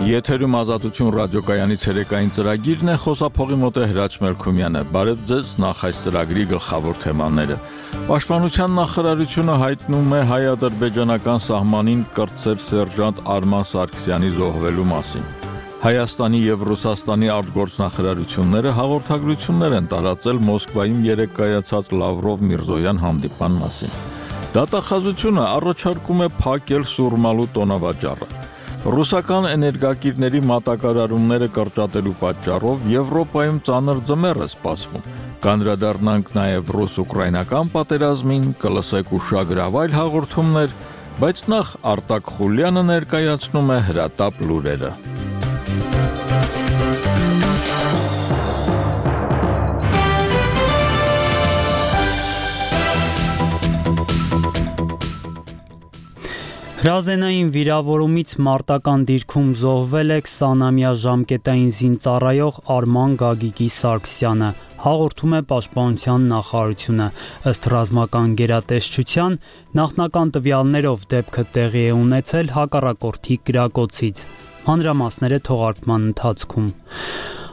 Եթերում ազատություն ռադիոկայանի ցերեկային ծրագիրն է, խոսափողի մոտ է Հրաչ Մելքումյանը։ Բարև ձեզ, նախ այս ծրագրի գլխավոր թեմաները։ Պաշտպանության նախարարությունը հայտնում է հայ-ադրբեջանական սահմանին կրտսեր սերժանտ Արման Սարգսյանի զոհվելու մասին։ Հայաստանի եւ Ռուսաստանի արտգործնախարարությունները հաղորդագրություններ են տարածել Մոսկվայում երեկ կայացած Լավրով-Միրզոյան հանդիպան մասին։ Դատախազությունը առաջարկում է փակել Սուրմալու տոնավաճառը։ Ռուսական էներգակիրների մատակարարումները կրճատելու պատճառով Եվրոպայում ծանր ձմեռ է սպասվում։ Կանդրադառնանք նաև ռուս-ուկրաինական պատերազմին, կլսեք ուշագրավ այլ հաղորդումներ, բայց նախ Արտակ Խուլյանը ներկայացնում է հրատապ լուրերը։ Հրազենային վիրավորումից մարտական դիրքում զոհվել է 20-ամյա ժամկետային զինծառայող Արման Գագիկի Սարգսյանը, հաղորդում է Պաշտպանության նախարարությունը։ Ըստ ռազմական գերատեսչության, նախնական տվյալներով դեպքը տեղի է ունեցել հակառակորդի կրակոցից։ Մանրամասները թողարկման ընթացքում։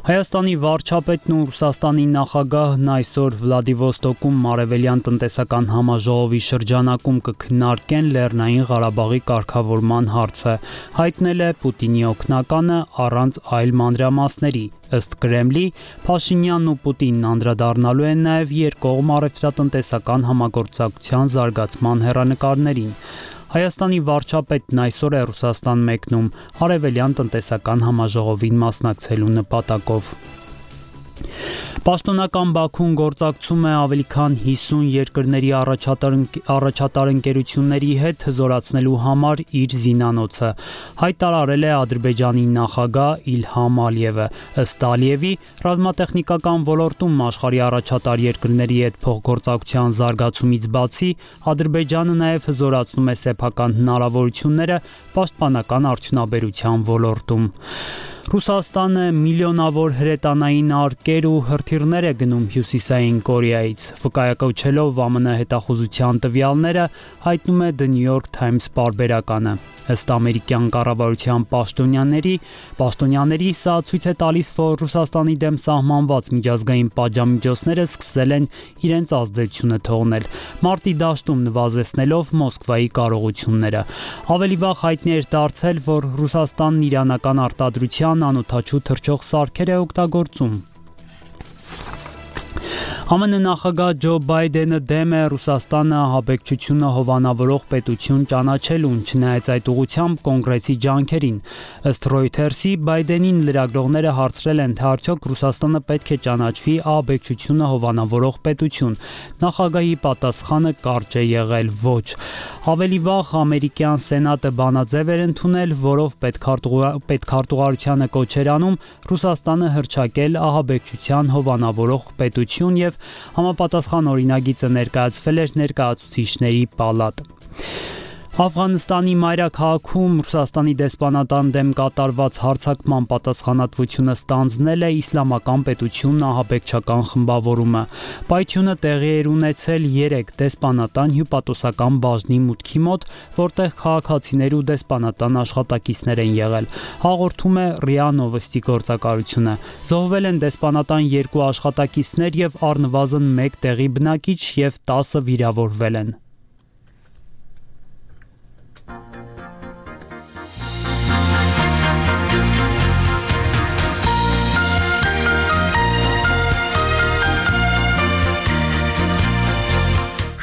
Հայաստանի վարչապետն ու Ռուսաստանի նախագահն այսօր Վլադիվոստոկում Արևելյան տնտեսական համաժողովի շրջանակում կքննարկեն Լեռնային Ղարաբաղի կարգավորման հարցը, հայտնել է Պուտինի օգնականը առանց այլ մանրամասների։ Ըստ Կրեմլի, Փաշինյանն ու Պուտինն անդրադառնալու են նաև երկկողմ առևտրատնտեսական համագործակցության զարգացման հեռանկարներին։ Հայաստանի վարչապետն այսօր է Ռուսաստան մեկնում Արևելյան տնտեսական համաժողովին մասնակցելու նպատակով։ Պաշտոնական Բաքուն գործակցում է ավելի քան 50 երկրների առաջատար ընկերությունների հետ հզորացնելու համար իր զինանոցը, հայտարարել է Ադրբեջանի նախագահ Իլհամ Ալիևը։ Ըստ Ալիևի, ռազմատեխնիկական ոլորտում աշխարհի առաջատար երկրների հետ փոխգործակցության զարգացումից բացի, Ադրբեջանը նաև հզորացնում է սեփական հնարավորությունները պաշտպանական արդյունաբերության ոլորտում։ Ռուսաստանը միլիոնավոր հրետանային արկեր ու հրթիռներ է գնում Հյուսիսային Կորեայից։ Վկայակոչելով ԱՄՆ հետախուզության տվյալները, հայտնում է The New York Times պարբերականը։ Ըստ ամերիկյան կառավարության պաշտոնյաների, սա ցույց է տալիս, որ Ռուսաստանի դեմ սահմանված միջազգային պատժամիջոցները սկսել են իրենց ազդեցությունը թողնել, մարտի դաշտում նվազեցնելով Մոսկվայի կարողությունները։ Ավելի վաղ հայտնի էր դարձել, որ Ռուսաստանն իրանական արտադրության անօդաչու թռչող սարքեր է օգտագործում։ ԱՄՆ նախագահ Ջո Բայդենը դեմ է Ռուսաստանը ահաբեկչությունը հովանավորող պետություն ճանաչելուն, չնայած այդ ուղղությամբ կոնգրեսի ջանքերին։ Ըստ Reuters-ի, Բայդենին լրագրողները հարցրել են, թե արդյոք Ռուսաստանը պետք է ճանաչվի ահաբեկչությունը հովանավորող պետություն։ Նախագահի պատասխանը կարճ է եղել՝ ոչ։ Ավելի վաղ ամերիկյան սենատը բանաձև էր ընդունել, որով պետքարտուղարությանը կոչ էր անում Ռուսաստանը հռչակել ահաբեկչության հովանավորող պետություն եւ համապատասխան օրինագիծը ներկայացվել էր ներկայացուցիչների պալատ։ Աֆղանստանի մայրաքաղաքում Ռուսաստանի դեսպանատան դեմ կատարված հարձակման պատասխանատվությունը ստանձնել է Իսլամական պետությունն ահաբեկչական խմբավորումը։ Պայթյունը տեղի էր ունեցել 3 դեսպանատան հյուպատոսական բաժնի մուտքի մոտ, որտեղ քաղաքացիներ ու դեսպանատան աշխատակիցներ են եղել։ Հաղորդում է ՌԻԱ Նովոստի գործակալությունը։ Զոհվել են դեսպանատան 2 աշխատակիցներ եւ առնվազն 1 տեղի բնակիչ եւ 10 վիրավորվել են։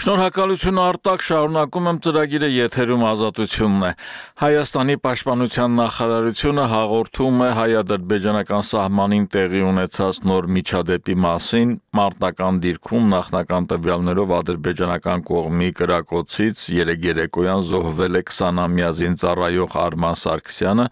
Շնորհակալություն Արտակ, շարունակում եմ ծրագիրը, եթերում ազատությունն է։ Հայաստանի պաշտպանության նախարարությունը հաղորդում է հայ-ադրբեջանական սահմանին տեղի ունեցած նոր միջադեպի մասին, մարտական դիրքում նախնական տվյալներով ադրբեջանական կողմի կրակոցից երեկոյան զոհվել է 20-ամյա զինծառայող Արման Սարգսյանը։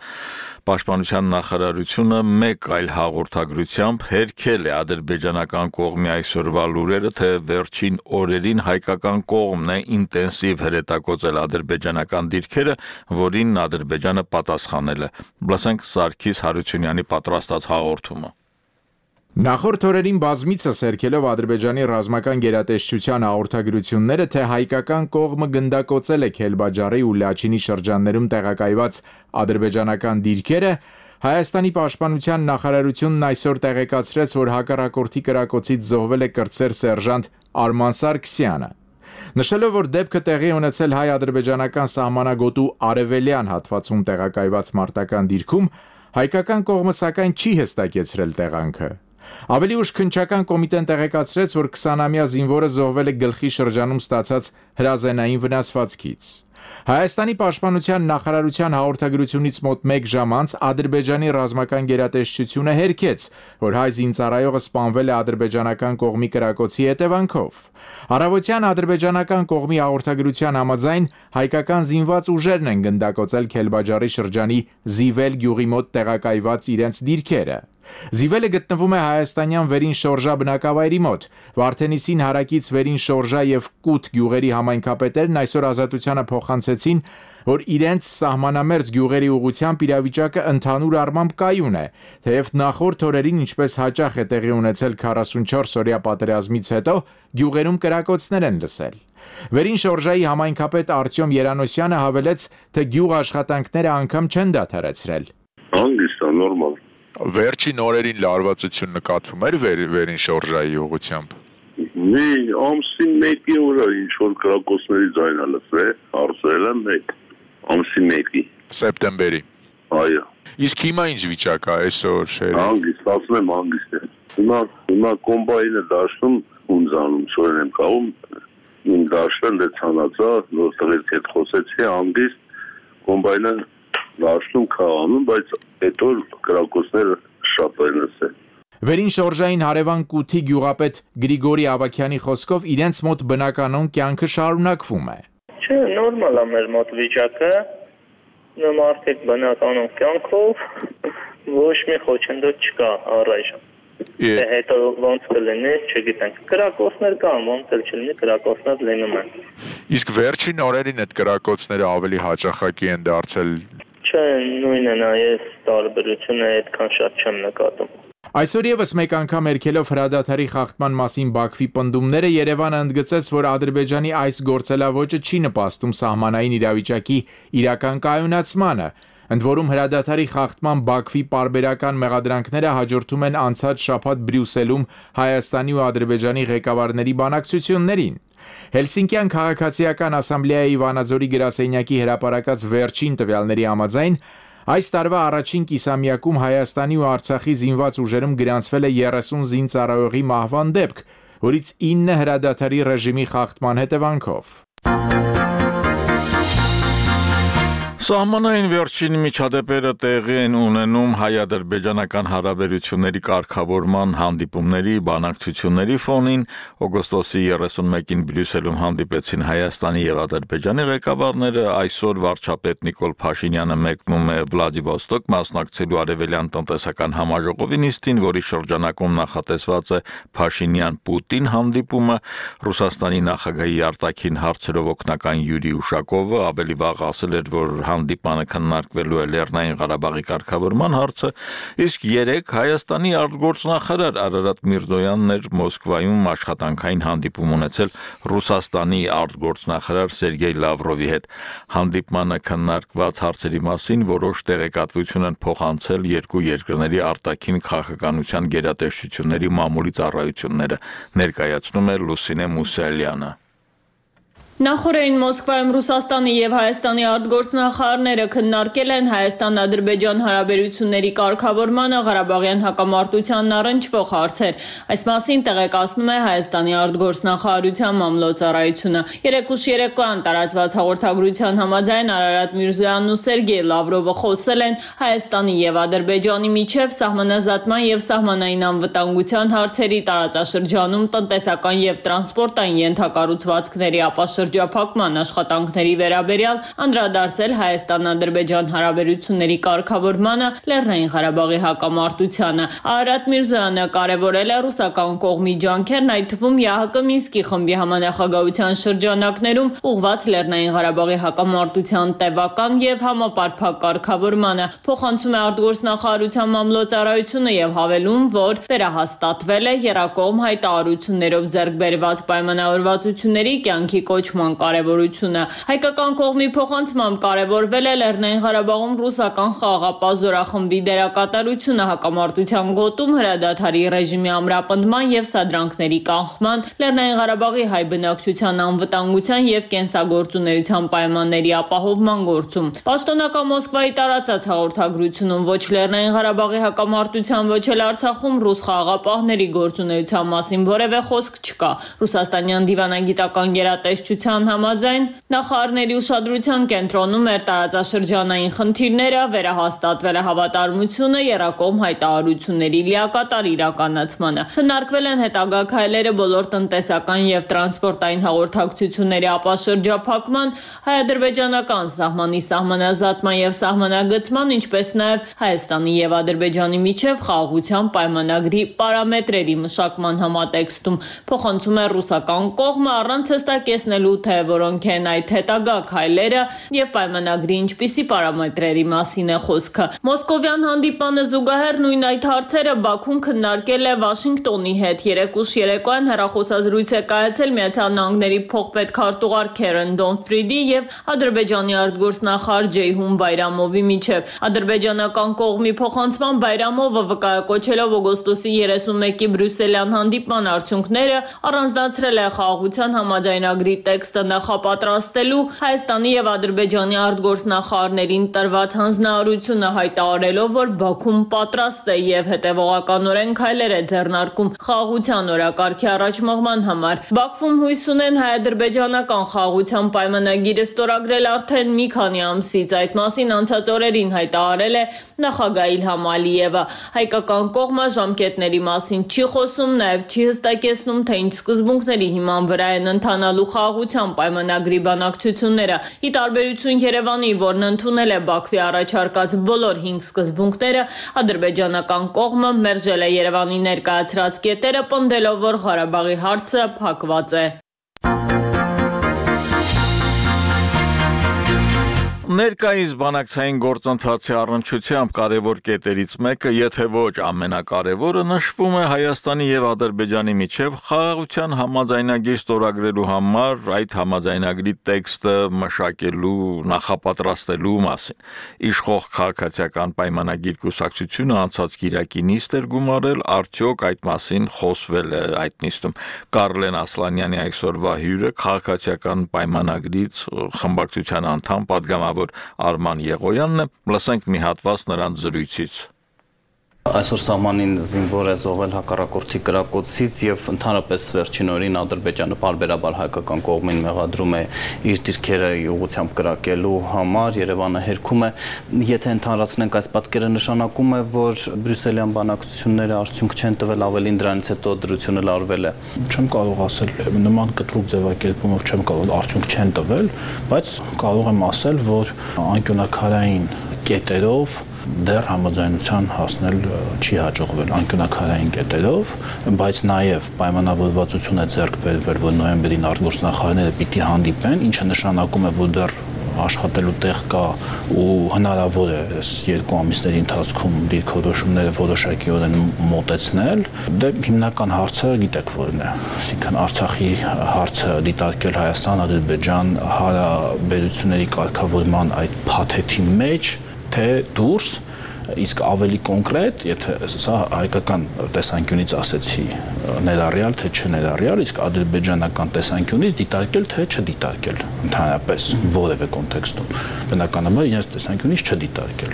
Պաշտպանության նախարարությունը մեկ այլ հաղորդագրությամբ հերքել է ադրբեջանական կողմի այսօրվա լուրերը, թե վերջին օրերին հայկական կողմն է ինտենսիվ հրետակոծել ադրբեջանական դիրքերը, որին Ադրբեջանը պատասխանել է։ Լսենք Սարգիս Հարությունյանի պատրաստած հաղորդումը։ Նախորդ օրերին բազմիցս հերքելով Ադրբեջանի ռազմական գերատեսչության հաղորդագրությունները, թե հայկական կողմը գնդակոծել է Քելբաջարի ու Լաչինի շրջաններում տեղակայված ադրբեջանական դիրքերը, Հայաստանի պաշտպանության նախարարությունն այսօր տեղեկացրեց, որ հակառակորդի կրակոցից զոհվել է կրտսեր սերժանտ Արման Սարգսյանը։ Նշելով, որ դեպքը տեղի ունեցել հայ-ադրբեջանական սահմանագոտու արևելյան հատվածում տեղակայված մարտական դիրքում, հայկական կողմը սակայն չի հստակեցրել տեղանքը։ Ավելի ուշ քննչական կոմիտեն տեղեկացրեց, որ 20-ամյա զինվորը զոհվել է գլխի շրջանում ստացած հրազենային վնասվածքից։ Հայաստանի պաշտպանության նախարարության հաղորդագրությունից մոտ 1 ժամ անց Ադրբեջանի ռազմական գերատեսչությունը հերքեց, որ հայ զինծառայողը սպանվել է ադրբեջանական կողմի կրակոցի հետևանքով։ Առավոտյան ադրբեջանական կողմի հաղորդագրության համաձայն հայկական զինված ուժերն են գնդակոծել Քելբաջարի շրջանի Զիվել գյուղի մոտ տեղակայված իրենց դիրքերը։ Զիվելը գտնվում է հայաստանյան Վերին Շորժա բնակավայրի մոտ։ Վարդենիսին հարակից Վերին Շորժա եւ Կուտ գյուղերի համայնքապետերն այսօր Ազատությանը փոխանցեցին, որ իրենց սահմանամերձ գյուղերի ուղղությամբ իրավիճակը ընդհանուր առմամբ կայուն է, թեև նախորդ օրերին, ինչպես հաճախ է տեղի ունեցել 44-օրյա պատերազմից հետո, գյուղերում կրակոցներ են լսել։ Վերին Շորժայի համայնքապետ Արտյոմ Երանոսյանը հավելեց, թե գյուղ աշխատանքները անգամ չեն դադարեցրել։ Հանգիստ է, նորմալ։ Վերջին օրերին լարվածություն նկատվում էր Վերին Շորժայի ուղղությամբ։ Մի ամսին 1-ի օրը ինչ որ կրակոցների ձայն է լսվել, հարցրել եմ մեկ ամսին 1-ի սեպտեմբերի։ Այո։ Իսկ հիմա ինչ վիճակ է այսօր։ Հանգիստ, ասում եմ հանգիստ է։ Հիմա կոմբայնը դաշտում ունձանում, սորեն եմ կաղում, իմ դաշտել է ցանածա, որտեղից հետ խոսեցի հանգիստ, կոմբայնը դաշտում քաղանում, բայց հետո կրակոցները շատ են լսել։ Վերին Շորժային հարևան Կութի գյուղապետ Գրիգորի Ավագյանի խոսքով իրենց մոտ բնականon կյանքը շարունակվում է։ Չէ, նորմալ է մեր մոտ վիճակը, մարդիկ բնականon կյանքով, ոչ մի խոչընդոտ չկա առայժմ։ Հետո ոնց կլինի, չգիտենք։ Կրակոցներ կան, ոնց էլ չլինի, կրակոցներ լինում են։ Իսկ վերջին օրերին այդ կրակոցները ավելի հաճախակի են դարձել։ Չէ, նույնն է, այս տարբերությունը այդքան շատ չեմ նկատում։ Այսօր եւս մեկ անգամ երկելով հրադադարի խախտման մասին Բաքվի պնդումները Երևանը ընդգծեց, որ Ադրբեջանի այս գործելավոճը չի նպաստում սահմանային իրավիճակի իրական կայունացմանը, ընդ որում հրադադարի խախտման Բաքվի պարբերական մեղադրանքները հաջորդում են անցած շաբաթ Բրյուսելում Հայաստանի ու Ադրբեջանի ղեկավարների բանակցություններին։ Հելսինկյան քաղաքացիական ասամբլեայի Վանաձորի գրասենյակի հրապարակած վերջին տվյալների համաձայն այս տարվա առաջին կիսամյակում Հայաստանի ու Արցախի զինված ուժերում գրանցվել է 30 զինծառայողի մահվան դեպք, որից 9 հրադադարի ռեժիմի խախտման հետևանքով։ Սահմանային վերջին միջադեպերը տեղի են ունենում հայ-ադրբեջանական հարաբերությունների կարգավորման հանդիպումների բանակցությունների ֆոնին օգոստոսի 31-ին Բրյուսելում հանդիպեցին Հայաստանի եւ Ադրբեջանի ղեկավարները, այսօր վարչապետ Նիկոլ Փաշինյանը մեկնում է Վլադիվոստոկ մասնակցելու արևելյան տնտեսական համաժողովի նիստին, որի շրջանակում նախատեսված է Փաշինյան-Պուտին հանդիպումը, Ռուսաստանի նախագահի արտաքին հարցերով օգնական Յուրի Ուշակովը ավելի վաղ ասել էր, որ հանդիպանը քննարկվելու է Լեռնային Ղարաբաղի կարգավորման հարցը, իսկ 3 Հայաստանի արտգործնախարար Արարատ Միրզոյանն էր Մոսկվայում աշխատանքային հանդիպում ունեցել Ռուսաստանի արտգործնախարար Սերգեյ Լավրովի հետ։ Հանդիպմանը քննարկված հարցերի մասին որոշ տեղեկատվություն են փոխանցել երկու երկրների արտաքին քաղաքականության գերատեսչությունների մամուլի ծառայությունները, ներկայացնում է Լուսինե Մուսալյանը։ Նախորդին Մոսկվայում Ռուսաստանի եւ Հայաստանի արտգործնախարարները քննարկել են Հայաստան-Ադրբեջան հարաբերությունների կարգավորմանը Ղարաբաղյան հակամարտությանն առնչվող հարցեր։ Այս մասին տեղեկացնում է Հայաստանի արտգործնախարարության մամլոյցարայությունը։ Երեկուշ երեկոյան տարածված հաղորդագրության համաձայն Արարատ Միրզոյանն ու Սերգեյ Լավրովը խոսել են Հայաստանի եւ Ադրբեջանի միջև սահմանազատման եւ սահմանային անվտանգության հարցերի տարածաշրջանում տնտեսական եւ տրանսպորտային ենթակառուցվածքների ապաշրջափակման աշխատանքների վերաբերյալ անդրադարձել Հայաստան-Ադրբեջան հարաբերությունների կարգավորմանը Լեռնային Ղարաբաղի հակամարտությանը։ Արարատ Միրզոյանը կարևորել է ռուսական կողմի ջանքերն, այդ թվում ԵԱՀԿ Մինսկի խմբի համանախագահության շրջանակներում ուղղված Լեռնային Ղարաբաղի հակամարտության տևական եւ համապարփակ կարգավորմանը։ Փոխանցում է արտգործնախարարության մամլոյցարայությունը եւ հավելում, որ վերահաստատվել է եռակողմ հայտարարություններով ձեռք բերված պայմանավորվածությունների կյանքի կոչման կոչման կարևորությունը։ Հայկական կողմի փոխանցմամբ կարևորվել է Լեռնային Ղարաբաղում ռուսական խաղաղապահ զորախմբի դերակատարությունը հակամարտության գոտում հրադադարի ռեժիմի ամրապնդման եւ սադրանքների կանխման, Լեռնային Ղարաբաղի հայ բնակչության անվտանգության եւ կենսագործունեության պայմանների ապահովման գործում։ Պաշտոնական Մոսկվայի տարածած հաղորդագրությունում ոչ Լեռնային Ղարաբաղի հակամարտության, ոչ էլ Արցախում ռուս խաղաղապահների գործունեության մասին որևէ խոսք չկա։ Ռուսաստանյան դիվանագիտական գերատեսչության համաձայն նախարարների ուշադրության կենտրոնում էր տարածաշրջանային խնդիրները, վերահաստատվել է հավատարմությունը եռակողմ հայտարարությունների լիակատար իրականացմանը։ Քննարկվել են հետագա քայլերը բոլոր տնտեսական եւ տրանսպորտային հաղորդակցությունների ապաշրջափակման, հայ-ադրբեջանական սահմանի սահմանազատման եւ սահմանագծման, ինչպես նաեւ Հայաստանի եւ Ադրբեջանի միջև խաղաղության պայմանագրի պարամետրերի մշակման համատեքստում։ Փոխանցում է ռուսական կողմը առանց հստակեցնելու, թե որոնք են այդ հետագա քայլերը եւ պայմանագրի ինչպիսի պարամետրերի մասին է խոսքը։ Մոսկովյան հանդիպանը զուգահեռ նույն այդ հարցերը Բաքուն քննարկել է Վաշինգտոնի հետ։ Երեկուշ երեկոյան հեռախոսազրույց է կայացել Միացյալ Նահանգների փոխպետքարտուղար Քերեն Դոնֆրիդի եւ Ադրբեջանի արտգործնախարար Ջեյհուն Բայրամովի միջև։ Ադրբեջանական կողմի փոխանցման Բայրամովը վկայակոչելով օգոստոսի 31-ի բրյուսելյան հանդիպման արդյունքները առանձնացրել է խաղաղության համաձայնագրի տեքստը նախապատրաստելու Հայաստանի եւ Ադրբեջանի արտգործնախարարներին տրված հանձնարարությունը, հայտարարելով, որ Բաքուն պատրաստ է եւ հետեւողականորեն քայլեր է ձեռնարկում խաղաղության օրակարգի առաջմղման համար։ Բաքվում հույս ունեն հայ-ադրբեջանական խաղաղության պայմանագիրը ստորագրել արդեն մի քանի ամսից։ Այդ մասին անցած օրերին հայտարարել է նախագահ Իլհամ Ալիևը։ Հայկական կողմը ժամկետների մասին չի խոսում, նաեւ չի հստակեցնում, թե ինչ սկզբունքների հիման վրա են ընթանալու խաղաղության պայմանագրի բանակցությունները։ Ի տարբերություն Երևանի, որն ընդունել է Բաքվի առաջարկած բոլոր 5 սկզբունքները, ադրբեջանական կողմը մերժել է Երևանի ներկայացրած կետերը, պնդելով, որ Ղարաբաղի հարցը փակված է։ Ներկայիս բանակցային գործընթացի առնչությամբ կարևոր կետերից մեկը, եթե ոչ ամենակարևորը, նշվում է Հայաստանի եւ Ադրբեջանի միջև խաղաղության համաձայնագիր ստորագրելու համար այդ համաձայնագրի տեքստը մշակելու, նախապատրաստելու մասին։ Իշխող քաղաքացիական պայմանագիր կուսակցությունը անցած կիրակի նիստ էր գումարել, արդյոք այդ մասին խոսվել է այդ նիստում։ Կարլեն Ասլանյանի այսօրվա հյուրը քաղաքացիական պայմանագրից խմբակցության անդամ պատգամավոր Արման Եղոյանն է, լսենք մի հատված նրանց զրույցից։ Այսօր սահմանին զինվոր է զոհվել հակառակորդի կրակոցից եւ ընդհանրապես վերջին օրին Ադրբեջանը բարբերաբար հայկական կողմին մեղադրում է իր դիրքերը ուղղությամբ կրակելու համար, Երևանը հերքում է։ Եթե ընդհանրացնենք այս պատկերը, նշանակում է, որ բրյուսելյան բանակցությունները արդյունք չեն տվել, ավելին դրանից հետո դրությունը լարվել է։ Չեմ կարող ասել նման կտրուկ ձևակերպումով չեմ կարող արդյունք չեն տվել, բայց կարող եմ ասել, որ անկյունաքարային կետերով դեռ համաձայնության հասնել չի հաջողվել անկյունաքարային կետերով, բայց նաև պայմանավորվածություն է ձեռք բերվել, որ նոյեմբերին արտգործնախարարները պիտի հանդիպեն, ինչը նշանակում է, որ դեռ աշխատելու տեղ կա ու հնարավոր է այս 2 ամիսների ընթացքում դիրքորոշումները որոշակիորեն մոտեցնել։ Դե հիմնական հարցը գիտեք որն է, այսինքն Արցախի հարցը դիտարկել Հայաստան-Ադրբեջան հարաբերությունների կարգավորման այդ փաթեթի մեջ, թե դուրս, իսկ ավելի կոնկրետ, եթե սա հայկական տեսանկյունից ասեցի ներառյալ, թե չներառյալ, իսկ ադրբեջանական տեսանկյունից դիտարկել, թե չդիտարկել, ընդհանրապես որևէ կոնտեքստում, բնականաբար իրենց տեսանկյունից չդիտարկել։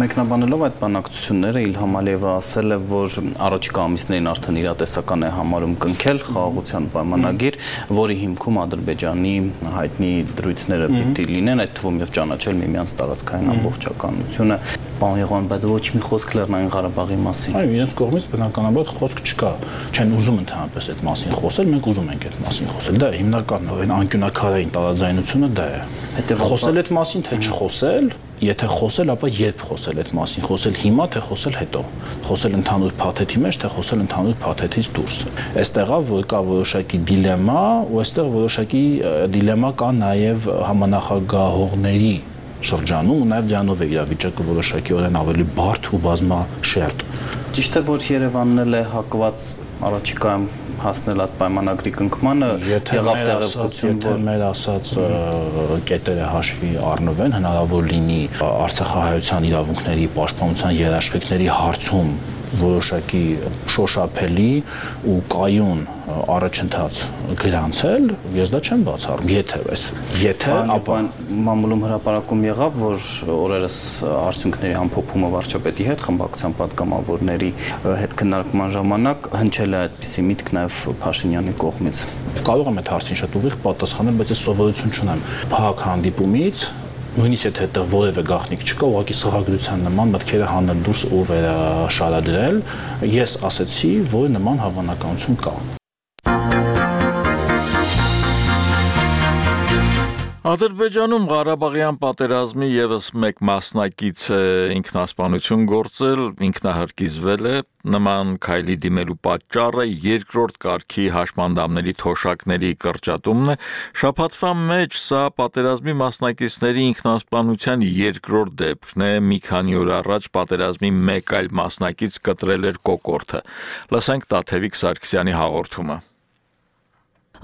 Մեկնաբանելով այդ բանակցությունները Իլհամ Ալիևը ասել է, որ առաջիկա ամիսներին արդեն իրատեսական է համարում կնքել խաղաղության պայմանագիր, որի հիմքում Ադրբեջանի հայտնի դրույթները պիտի լինեն, այդ թվում եւ ճանաչել միմյանց տարածքային ամբողջականությունը։ Պարոն Եղոյան, բայց ոչ մի խոսք Լեռնային Ղարաբաղի մասին։ Այո, իրենց կողմից բնականաբար խոսք չկա։ Չեն ուզում ընդհանրապես այդ մասին խոսել, մենք ուզում ենք այդ մասին խոսել։ Դա հիմնական անկյունաքարային տարաձայնությունը դա է։ Խոսել այդ մասին, թե չխոսել, եթե խոսել, ապա երբ խոսել այդ մասին, խոսել հիմա, թե խոսել հետո, խոսել ընդհանուր փաթեթի մեջ, թե խոսել ընդհանուր փաթեթից դուրս։ Այստեղ է, որ կա որոշակի դիլեմա, ու այստեղ որոշակի դիլեմա կա նաև համանախագահողների շրջանում ու նաև դրանով է իրավիճակը որոշակիորեն ավելի բարդ ու բազմաշերտ։ Ճիշտ է, որ Երևանն էլ է հակված առաջիկայում հասնել այդ պայմանագրի կնքմանը, եղավ տեղեկություն, որ մեր ասած կետերը հաշվի առնվեն, հնարավոր լինի արցախահայության իրավունքների պաշտպանության երաշխիքների հարցում որոշակի շոշափելի ու կայուն առաջընթաց գրանցել, ես դա չեմ բացառում, եթե ապա մամուլում հրապարակում եղավ, որ օրերս արդյունքների ամփոփումը վարչապետի հետ խմբակցության պատգամավորների հետ քննարկման ժամանակ հնչել է այդպիսի միտք նաև Փաշինյանի կողմից։ Կարող եմ այդ հարցին շատ ուղիղ պատասխանել, բայց ես սովորություն չունեմ փակ հանդիպումից նույնիսկ եթե այդտեղ որևէ գաղտնիք չկա, ուղղակի սղագրության նման մտքերը հանել դուրս ու վերաշարադրել, ես ասացի, որ նման հավանականություն կա։ Ադրբեջանում Ղարաբաղյան պատերազմի եւս մեկ մասնակից ինքնասպանություն գործել, ինքնահարկիզվել է, նման քայլի դիմելու պատճառը երկրորդ կարգի հաշմանդամների թոշակների կրճատումն է, շաբաթվա մեջ սա պատերազմի մասնակիցների ինքնասպանության երկրորդ դեպքն է, մի քանի օր առաջ պատերազմի մեկ այլ մասնակից կտրել էր կոկորդը։ Լսենք Տաթևիկ Սարգսյանի հաղորդումը։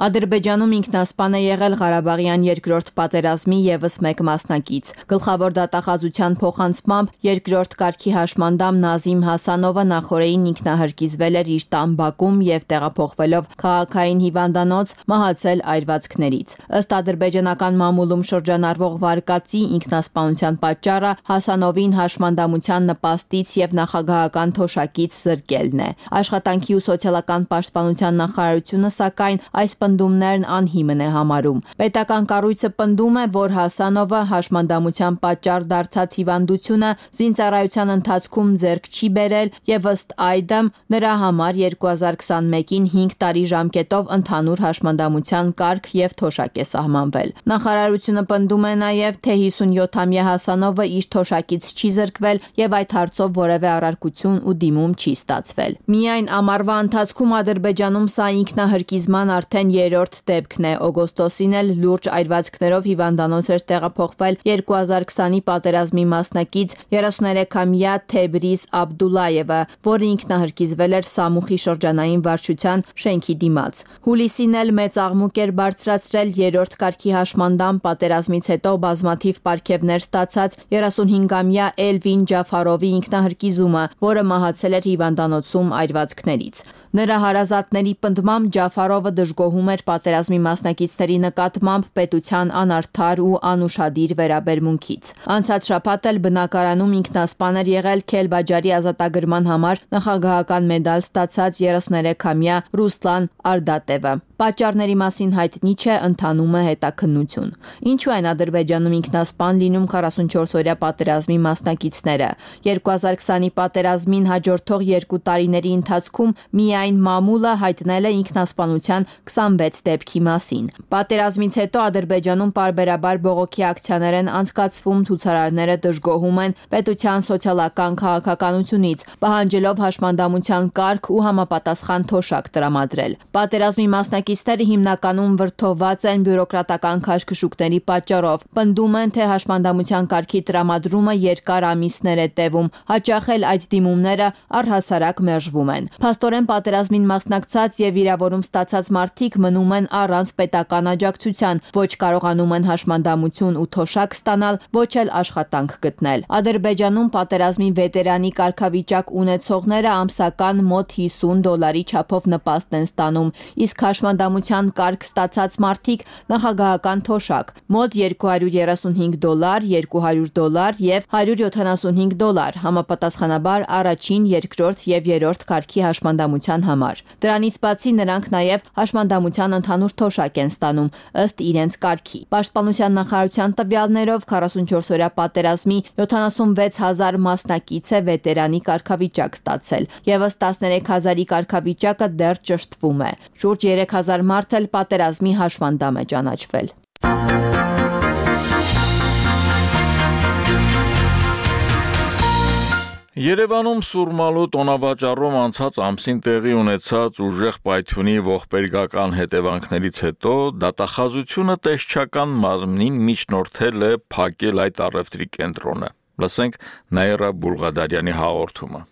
Ադրբեջանում ինքնասպան է եղել Ղարաբաղյան երկրորդ պատերազմի եւս մեկ մասնակից։ Գլխավոր դատախազության փոխանցմամբ երկրորդ կարգի հաշմանդամ Նազիմ Հասանովը նախորդին ինքնահարկիզվել էր իր տան բակում եւ տեղափոխվելով քաղաքային հիվանդանոց մահացել այրվածքներից։ Ըստ ադրբեջանական մամուլում շրջանառվող վարկածի ինքնասպանության պատճառը Հասանովին հաշմանդամության նպաստից եւ նախագահական թոշակից զրկելն է։ Աշխատանքի ու սոցիալական պաշտպանության նախարարությունը սակայն այս պնդումներն անհիմն է համարում։ Պետական կառույցը պնդում է, որ Հասանովը հաշմանդամության պատճառ դարձած հիվանդությունը զինծառայության ընթացքում ձեռք չի բերել եւ ըստ այդմ նրա համար 2021-ին 5 տարի ժամկետով ընդհանուր հաշմանդամության կարգ եւ թոշակ է սահմանվել։ Նախարարությունը պնդում է նաեւ, թե 57-ամյա Հասանովը իր թոշակից չի զրկվել եւ այդ հարցով որևէ առարկություն ու դիմում չի ստացվել։ Միայն ամառվա ընթացքում Ադրբեջանում սա ինքնահարկիզման արդեն երրորդ դեպքն է։ Օգոստոսին էլ լուրջ այրվածքներով հիվանդանոց էր տեղափոխվել 2020-ի պատերազմի մասնակից 33-ամյա Թեբրիզ Աբդուլլայևը, որը ինքնահարկիզվել էր Սամուխի շրջանային վարչության շենքի դիմաց։ Հուլիսին էլ մեծ աղմուկ էր բարձրացրել երրորդ կարգի հաշմանդամ պատերազմից հետո բազմաթիվ պարգևներ ստացած 35-ամյա Էլվին Ջաֆարովի ինքնահարկիզումը, որը մահացել էր հիվանդանոցում այրվածքներից։ Նրա հարազատների պնդմամբ Ջաֆարովը դժգոհում էր պատերազմի մասնակիցների նկատմամբ պետության անարդար ու անուշադիր վերաբերմունքից։ Անցած շաբաթ էլ բնակարանում ինքնասպան էր եղել Քելբաջարի ազատագրման համար նախագահական մեդալ ստացած 33-ամյա Ռուսլան Արդատևը։ Պատճառների մասին հայտնի չէ, ընթանում է հետաքննություն։ Ինչու են Ադրբեջանում ինքնասպան լինում 44-օրյա պատերազմի մասնակիցները։ 2020-ի պատերազմին հաջորդող 2 տարիների ընթացքում միայն մամուլը հայտնել է ինքնասպանության 26 դեպքի մասին։ Պատերազմից հետո Ադրբեջանում պարբերաբար բողոքի ակցիաներ են անցկացվում, ցուցարարները դժգոհում են պետության սոցիալական քաղաքականությունից, պահանջելով հաշմանդամության կարգ ու համապատասխան թոշակ տրամադրել։ Պատերազմի մասնակիցները հիմնականում վրդովված են բյուրոկրատական քաշքշուկների պատճառով։ Պնդում են, թե հաշմանդամության կարգի տրամադրումը երկար ամիսներ է տևում, հաճախ էլ այդ դիմումները առհասարակ մերժվում են։ Փաստորեն պատերազմին մասնակցած եւ վիրավորում ստացած մարդիկ մնում են առանց պետական աջակցության, ոչ կարողանում են հաշմանդամություն ու թոշակ ստանալ, ոչ էլ աշխատանք գտնել։ Ադրբեջանում պատերազմի վետերանի կարգավիճակ ունեցողները ամսական մոտ $50 չափով նպաստ են ստանում, իսկ հաշմանդամության կարգ ստացած մարդիկ նախագահական թոշակ մոտ $235, $200 եւ $175 համապատասխանաբար առաջին, երկրորդ եւ երրորդ կարգի հաշմանդամության համար։ Դրանից բացի նրանք նաեւ հաշմանդամության ընդհանուր թոշակ են ստանում ըստ իրենց կարգի։ Պաշտպանության նախարարության տվյալներով 44-օրյա պատերազմի 76,000 մասնակից է վետերանի կարգավիճակ ստացել, եւս 13,000-ի կարգավիճակը դեռ ճշտվում է։ Շուրջ 3,000 մարդ էլ պատերազմի հաշմանդամ է ճանաչվել։ Երևանում Սուրմալու տոնավաճառում անցած ամսին տեղի ունեցած ուժեղ պայթյունի ողբերգական հետևանքներից հետո դատախազությունը տեսչական մարմնին միջնորդել է փակել այդ առևտրի կենտրոնը։ Լսենք Նաիրա Բուլղադարյանի հաղորդումը։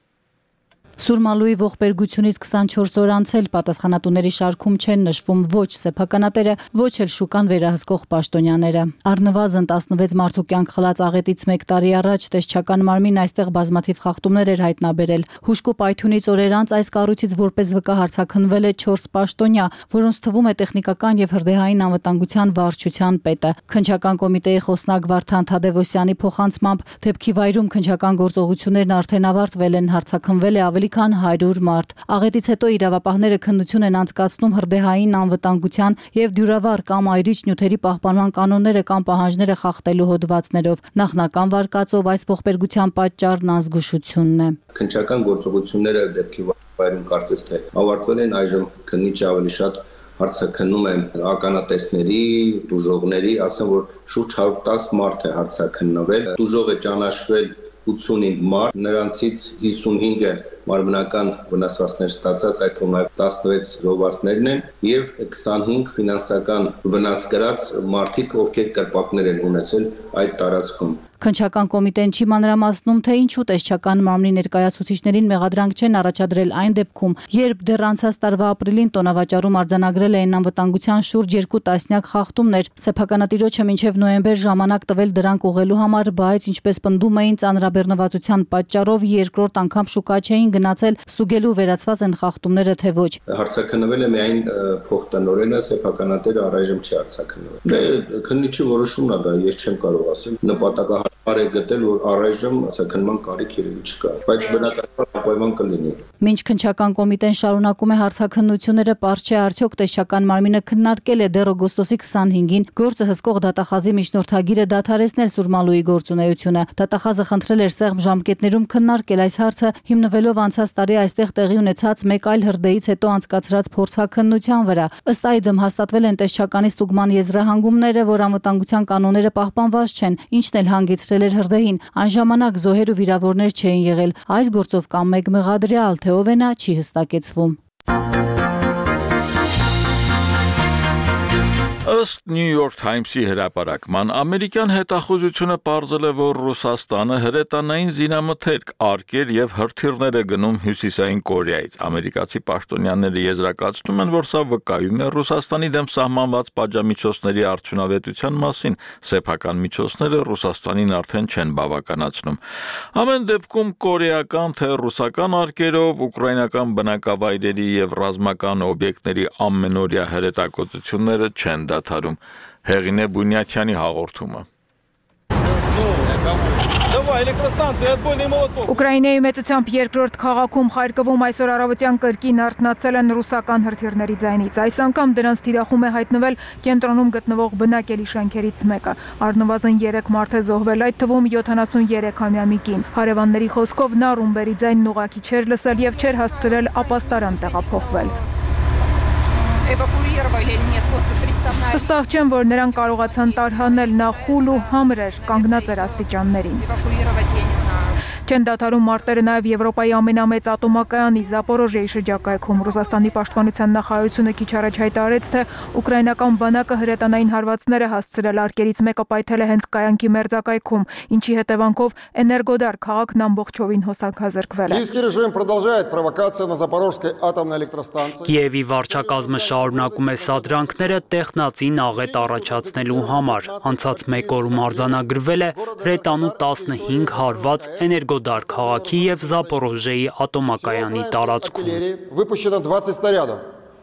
Սուրմալուի ողբերգությունից 24 օր անցել պատասխանատուների շարքում չեն նշվում ոչ սեփականատերը, ոչ էլ շուկան վերահսկող պաշտոնյաները։ Առնվազն 16 մարդու կյանք խլած աղետից 1 տարի առաջ տեսչական մարմին այստեղ բազմաթիվ խախտումներ էր հայտնաբերել։ Հուշկու պայթյունից օրեր անց այս կառույցից որպես վկա հարցաքննվել է 4 պաշտոնյա, որոնց թվում է տեխնիկական եւ հրդեհային անվտանգության վարչության պետը։ Քննչական կոմիտեի խոսնակ Վարդան Թադևոսյանի փոխանցմամբ դեպքի վայրում քննչական գործողություններն արդեն ավարտվել են, հարցաքննվել է ավելի քան 100 մարդ։ Աղետից հետո իրավապահները քննություն են անցկացնում հրդեհային անվտանգության եւ դյուրավառ կամ այրիչ նյութերի պահպանման կանոնները կամ պահանջները խախտելու հոդվածներով։ Նախնական վարկածով այս ողբերգության պատճառն անզգուշությունն է։ Քննչական գործողությունները դեպքի վայրում կարծես թե ավարտվել են, այժմ քննիչը ավելի շատ հարցաքննում է ականատեսների, տուժողների, ասեմ որ շուրջ 110 մարդ է հարցաքննվել։ Տուժող է ճանաչվել 85 մարդ, նրանցից 55-ը մարմնական վնասվածքներ ստացած, այդ թվում նաև 16 զոհվածներն են եւ 25 ֆինանսական վնաս կրած մարդիկ, ովքեր կրպակներ են ունեցել այդ տարածքում։ Քննչական կոմիտեն չի մանրամասնում, թե ինչու տեսչական մարմնի ներկայացուցիչներին մեղադրանք չեն առաջադրել այն դեպքում, երբ դեռ անցած տարվա ապրիլին տոնավաճառում արձանագրել էին անվտանգության շուրջ 2 տասնյակ խախտումներ։ Սեփականատիրոջը մինչև նոյեմբեր ժամանակ տվել դրանք ուղղելու համար, բայց ինչպես պնդում էին ծանրաբեռնվածության պատճառով երկրորդ անգամ շուկա չէին գնացել ստուգելու վերացված են խախտումները թե ոչ։ Հարցաքննվել է միայն փոխտնօրենը, սեփականատերը առայժմ չի հարցաքննվել։ Քննիչի որոշումն է դա, ես չեմ կարող ասել։ Նպատակահարմար է գտել, որ առայժմ հարցաքննման կարիք երևի չկա, բայց բնականաբար ապայման կլինի։ Մինչ քննչական կոմիտեն շարունակում է հարցաքննությունները, պարզ չէ արդյոք տեսչական մարմինը քննարկել է դեռ օգոստոսի 25-ին գործը հսկող դատախազի միջնորդագիրը դադարեցնել Սուրմալուի գործունեությունը։ Դատախազը խնդրել էր սեղմ ժամկետներում քննարկել այս հարցը, հիմնվելով անցած տարի այստեղ տեղի ունեցած մեկ այլ հրդեհից հետո անցկացրած փորձաքննության վրա։ Ըստ այդմ հաստատվել են տեսչականի ստուգման եզրահանգումները, որ անվտանգության կանոնները պահպանված չեն, ինչն էլ հանգեցրել էր հրդեհին։ Այն ժամանակ զոհեր ու վիրավորներ չէին եղել։ Այս գործով կամ մեկ մեղադրյալ, թե ով է նա, չի հստակեցվում։ Ըստ New York Times-ի հրապարակման, ամերիկյան հետախուզությունը պարզել է, որ Ռուսաստանը հրետանային զինամթերք, արկեր եւ հրթիռներ է գնում Հյուսիսային Կորեայից։ Ամերիկացի պաշտոնյաները եզրակացնում են, որ սա վկայում է Ռուսաստանի դեմ սահմանված պատժամիջոցների արդյունավետության մասին։ Սեփական միջոցները Ռուսաստանին արդեն չեն բավականացնում։ Ամեն դեպքում կորեական թե ռուսական արկերով ուկրաինական բնակավայրերի եւ ռազմական օբյեկտների ամենօրյա հրետակոծությունները չեն դադարում։ Հեղինե Բունյաթյանի հաղորդումը։ Ուկրաինայի մեծությամբ երկրորդ քաղաքում Խարկովում այսօր առավոտյան կրկին արթնացել են ռուսական հրթիռների ձայնից։ Այս անգամ դրանց թիրախում է հայտնվել կենտրոնում գտնվող բնակելի շենքերից մեկը։ Առնվազն 3 մարդ է зոհվել, այդ թվում 73-ամյա մի կին։ Հարևանների խոսքով նա ռումբերի ձայնն ուղղակի չէր լսել եւ չէր հասցրել ապաստարան տեղափոխվել։ Վստահ չեմ, որ նրան կարողացան տարհանել, նա խուլ ու համր էր, կանգնած էր աստիճաններին։ Չեն դադարում մարտերը նաև Եվրոպայի ամենամեծ ատոմակայանի Զապորոժիեի շրջակայքում։ Ռուսաստանի պաշտպանության նախարարությունը քիչ առաջ հայտարարեց, թե ուկրաինական բանակը հրետանային հարվածներ է հասցրել, արկերից մեկը պայթել է հենց կայանքի մերձակայքում, ինչի հետևանքով Էներգոդար քաղաքն ամբողջովին հոսանքազրկվել է։ Կիևի վարչակազմը շարունակում է սադրանքները տեխնացին աղետ առաջացնելու համար։ Անցած մեկ օրում արձանագրվել է հրետանու 15 հարված Էներգոդար քաղաքի եւ Զապորոժիեի ատոմակայանի տարածքում։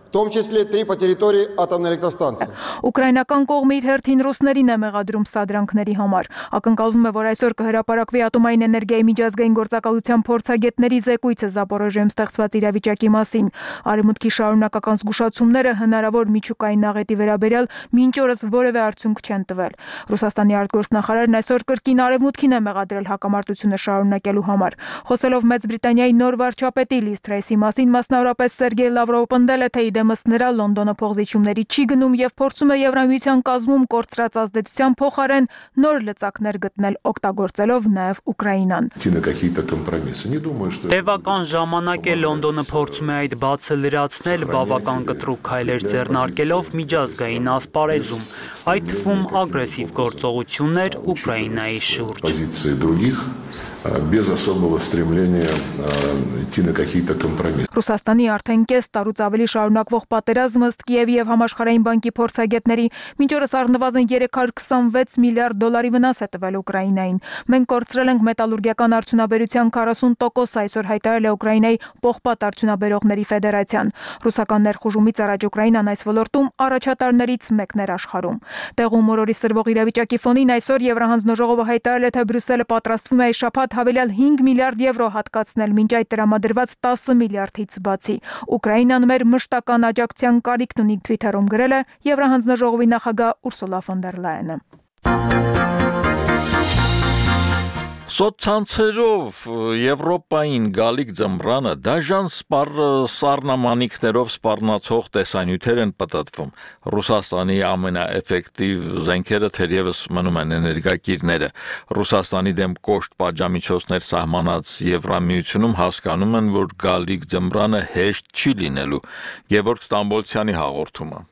В том числе 3 по территории атомной электростанции. Ուկրաինական կողմը իր հերթին ռուսներին է մեղադրում սադրանքների համար։ Ակնկալվում է, որ այսօր կհրապարակվի ատոմային էներգիայի միջազգային գործակալության փորձագետների զեկույցը Զապորոժիեում ստեղծված իրավիճակի մասին։ Արևմուտքի շարունակական զգուշացումները հնարավոր միջուկային աղետի վերաբերյալ մինչ օրս որևէ արդյունք չեն տվել։ Ռուսաստանի արտգործնախարարն այսօր կրկին Արևմուտքին է մեղադրել հակամարտությունը շարունակելու համար։ Խոսելով Մեծ Բրիտանիայի նոր վարչապետի Լիզ Թրեսի մասին, մասնավորապես Սերգեյ Լավրովը պնդել է, թե դեմս նրա Լոնդոնը փոխզիջումների չի գնում եւ փորձում է Եվրամիության կազմում կորցրած ազդեցության փոխարեն նոր լծակներ գտնել, օգտագործելով նաեւ Ուկրաինան։ Տևական ժամանակ է Լոնդոնը փորձում է այդ բացը լրացնել, բավական կտրուկ քայլեր ձեռնարկելով միջազգային ասպարեզում, այդ թվում ագրեսիվ գործողություններ Ուկրաինայի շուրջ։ без особого стремления идти на какие-то компромиссы. Ռուսաստանի արդեն կես տարուց ավելի շարունակվող պատերազմը ըստ Կիևի եւ Համաշխարհային բանկի փորձագետների մինչ օրս առնվազն 326 միլիարդ դոլարի վնաս է տվել Ուկրաինային։ Մենք կորցրել ենք մետալուրգիական արդյունաբերության 40%, այսօր հայտարարել է Ուկրաինայի պողպատ արդյունաբերողների ֆեդերացիան։ Ռուսական ներխուժումից առաջ Ուկրաինան այս ոլորտում առաջատարներից մեկն էր աշխարհում։ Տեղում օրորի սրվող իրավիճակի ֆոնին այսօր Եվրահանձնաժողովը հայտարարել է, թե Բրյուսելը պատրաստվում է այս շաբաթ հավելյալ 5 միլիարդ եվրո հատկացնել մինչ այդ տրամադրված 10 միլիարդից բացի։ Ուկրաինան մեր մշտական աջակցության կարիքն ունի, Twitter-ում գրել է Եվրահանձնաժողովի նախագահ Ուրսուլա ֆոն դեր Լայենը։ Սոցցանցերով Եվրոպային գալիք ձմռանը դաժան սառնամանիքներով սպառնացող տեսանյութեր են պտտվում։ Ռուսաստանի ամենաէֆեկտիվ զենքերը թերևս մնում են էներգակիրները։ Ռուսաստանի դեմ կոշտ պատժամիջոցներ սահմանած Եվրամիությունում հասկանում են, որ գալիք ձմռանը հեշտ չի լինելու։ Գևորգ Ստամբոլցյանի հաղորդումը։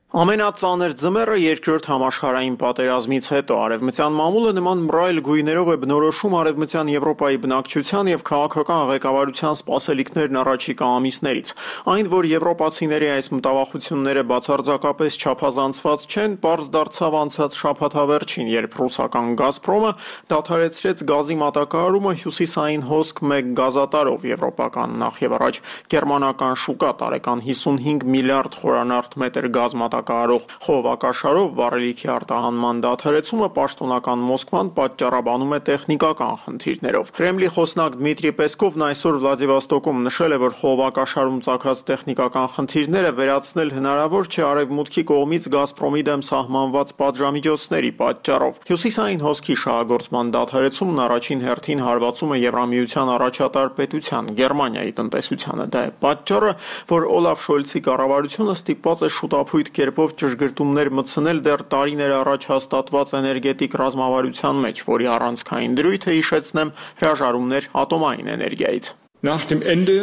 Ամենածանր ձմեռը երկրորդ համաշխարհային պատերազմից հետո արևմտյան մամուլը նման մռայլ գույներով է բնորոշում արևմտյան Եվրոպայի բնակչության եւ քաղաքական ղեկավարության սպասելիքներն առաջիկա ամիսներից։ Այն, որ եվրոպացիների այս մտավախությունները բացարձակապես չափազանցված չեն, պարզ դարձավ անցած շաբաթավերջին, երբ ռուսական Գազպրոմը դադարեցրեց գազի մատակարարումը հյուսիսային հոսք 1 գազատարով եվրոպական նախևառաջ գերմանական շուկա տարեկան 55 միլիարդ խորանարդ մետր գազ կարող խողովակաշարով վառելիքի արտահանման դադարեցումը պաշտոնական Մոսկվան պատճառաբանում է տեխնիկական խնդիրներով։ Կրեմլի խոսնակ Դմիտրի Պեսկովն այսօր Վլադիվոստոկում նշել է, որ խողովակաշարում ծագած տեխնիկական խնդիրները վերացնել հնարավոր չէ արևմուտքի կողմից Գազպրոմի դեմ սահմանված պատժամիջոցների պատճառով։ Հյուսիսային հոսքի շահագործման դադարեցումն առաջին հերթին հարվածում է Եվրամիության առաջատար պետության Գերմանիայի տնտեսությանը։ Դա է պատճառը, որ Օլաֆ Շոլցի կառավարությունը ստիպված է շուտափույթ կերպով ճշգրտումներ մտցնել դեռ տարիներ առաջ հաստատված էներգետիկ ռազմավարության մեջ, որի առանցքային դրույթը հիշեցնեմ հրաժարումներ ատոմային էներգիայից։ Nach dem Ende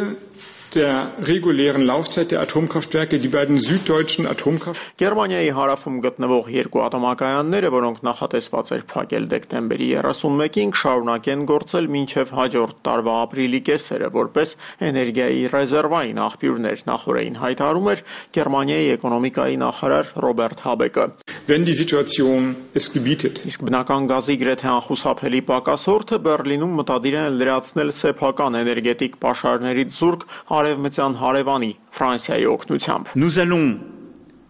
der regulären Laufzeit der Atomkraftwerke die beiden süddeutschen Atomkraftwerke Գերմանիայի հարավում գտնվող երկու ատոմակայանները, որոնք նախատեսված էր փակել դեկտեմբերի 31-ին, կշարունակեն գործել մինչև հաջորդ տարվա ապրիլի կեսերը, որպես էներգիայի ռեզերվային աղբյուրներ, նախորդին հայտարարում էր Գերմանիայի էկոնոմիկայի նախարար Ռոբերտ Հաբեկը։ Wenn die Situation es gebietet. Իսկ բնական գազի գրեթե անխուսափելի պակասորդը Բերլինում մտադիր են լրացնել սեփական էներգետիկ պաշարներից զուրկ արևմտյան հարևանի Ֆրանսիայի օգնությամբ։ Nous allons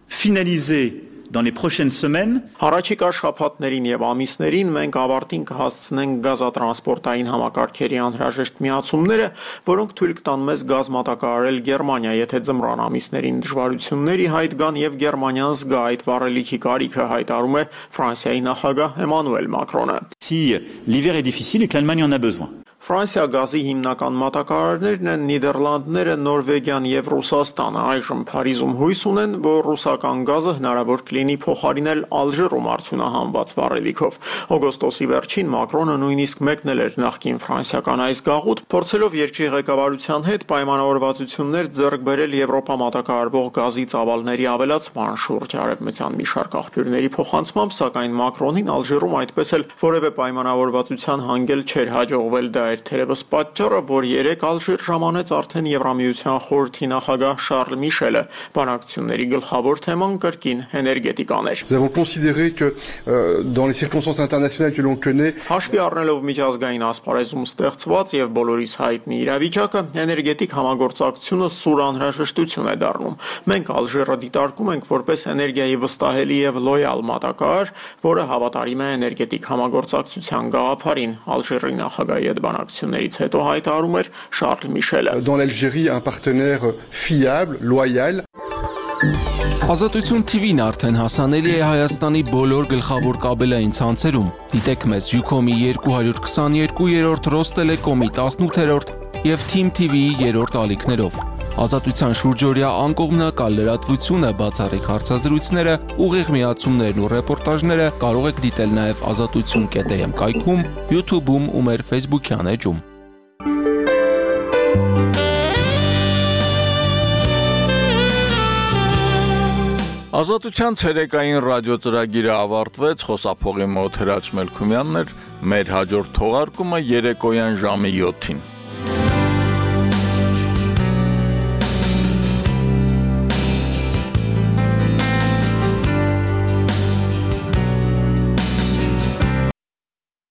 finaliser dans les prochaines semaines. Առաջիկա շաբաթներին եւ ամիսներին մենք ավարտին կհասցնենք գազատրանսպորտային համակարգերի անհրաժեշտ միացումները, որոնք թույլ կտան մեզ գազ մատակարարել Գերմանիա, եթե ձմռան ամիսներին դժվարությունների հայտ գան եւ Գերմանիան զգա այդ վառելիքի կարիքը, հայտարարում է Ֆրանսիայի նախագահ Էմանուել Մակրոնը։ Si l'hiver est difficile et que l'Allemagne en a besoin. Ֆրանսիա գազի հիմնական մատակարարներն են Նիդերլանդները, Նորվեգիան եւ Ռուսաստանը։ Այժմ Փարիզում հույս ունեն, որ ռուսական գազը հնարավոր կլինի փոխարինել Ալժիրում արդյունահանված վառելիքով։ Օգոստոսի վերջին Մակրոնը նույնիսկ մեկնել էր նախկին ֆրանսիական այս գաղութ, փորձելով երկրի ղեկավարության հետ պայմանավորվածություններ ձեռք բերել Եվրոպա մատակարարվող գազի ծավալների ավելացման շուրջ արևմտյան մի շարք աղբյուրների փոխանցմամբ, սակայն Մակրոնին Ալժիրում այդպես էլ որևէ պայմանավորվածության հանգել չէր հաջողվել։ Դա էր թերևս պատճառը, որ երեք Ալժիր ժամանեց արդեն Եվրամիության խորհրդի նախագահ Շարլ Միշելը։ Բանակցությունների գլխավոր թեման կրկին էներգետիկան էր։ Nous avons considéré que dans les circonstances internationales que l'on connaît, հաշվի առնելով միջազգային ասպարեզում ստեղծված եւ բոլորիս հայտնի իրավիճակը, էներգետիկ համագործակցությունը սուր անհրաժեշտություն է դառնում։ Մենք Ալժիրը դիտարկում ենք որպես էներգիայի վստահելի եւ լոյալ մատակարար, որը հավատարիմ է էներգետիկ համագործակցության գաղափարին, Ալժիրի նախագահի հետ բանակցություններից հետո հայտարարում էր Շարլ Միշելը։ Dans l'Algérie, un partenaire fiable, loyal. Ազատություն TV-ն արդեն հասանելի է Հայաստանի բոլոր գլխավոր կաբելային ցանցերում։ Դիտեք մեզ Ucom-ի 222-րդ, Ռոստելեկոմի 18-րդ եւ Team TV-ի 3-րդ ալիքներով։ Ազատության շուրջօրյա անկողմնակալ լրատվությունը, բացառիկ հարցազրույցները, ուղիղ միացումներն ու ռեպորտաժները կարող եք դիտել նաև azatutsun.am կայքում, YouTube-ում ու մեր Facebook-յան էջում։ Ազատության ցերեկային ռադիոծրագիրը ավարտվեց, խոսափողի մոտ Հրաչ Մելքումյանն էր, մեր հաջորդ թողարկումը երեկոյան ժամի 7-ին։